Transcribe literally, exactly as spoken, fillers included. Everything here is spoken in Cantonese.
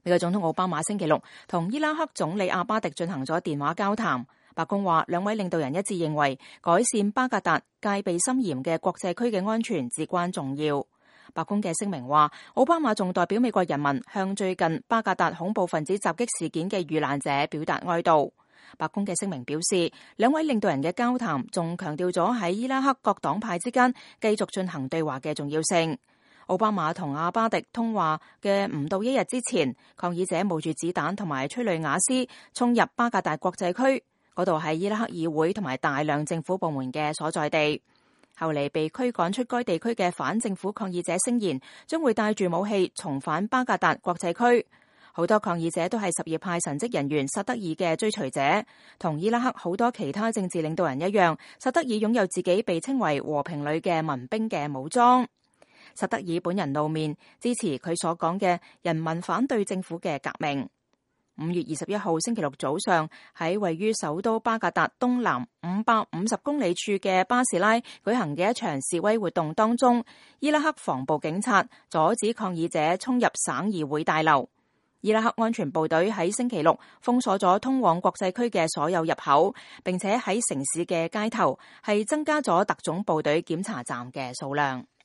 美國總統奧巴馬星期六同伊拉克總理阿巴迪進行咗電話交談。白宮話兩位領導人一致認為改善巴格達戒備森嚴嘅國際區嘅安全至關重要。白宮嘅聲明話，奧巴馬仲代表美國人民向最近巴格達恐怖分子襲擊事件嘅遇難者表達哀悼。白宮嘅聲明表示，兩位領導人嘅交談仲強調咗喺伊拉克各黨派之間繼續進行對話嘅重要性。奧巴馬同阿巴迪通話嘅唔到一日之前，抗議者冒住子彈同埋催淚瓦斯衝入巴格達國際區，嗰度係伊拉克議會同埋大量政府部門嘅所在地。後嚟被驅趕出該地區嘅反政府抗議者聲言，將會帶住武器重返巴格達國際區。好多抗議者都係什葉派神職人員薩德爾嘅追隨者，同伊拉克好多其他政治領導人一樣，薩德爾擁有自己被稱為和平旅嘅民兵嘅武裝。薩德爾本人露面支持佢所講嘅人民反對政府嘅革命。五月二十一號星期六早上，喺位於首都巴格達東南五百五十公里處嘅巴士拉舉行嘅一場示威活動當中，伊拉克防暴警察阻止抗議者衝入省議會大樓。伊拉克安全部隊喺星期六封鎖咗通往國際區嘅所有入口，並且喺城市嘅街頭係增加咗特種部隊檢查站嘅數量。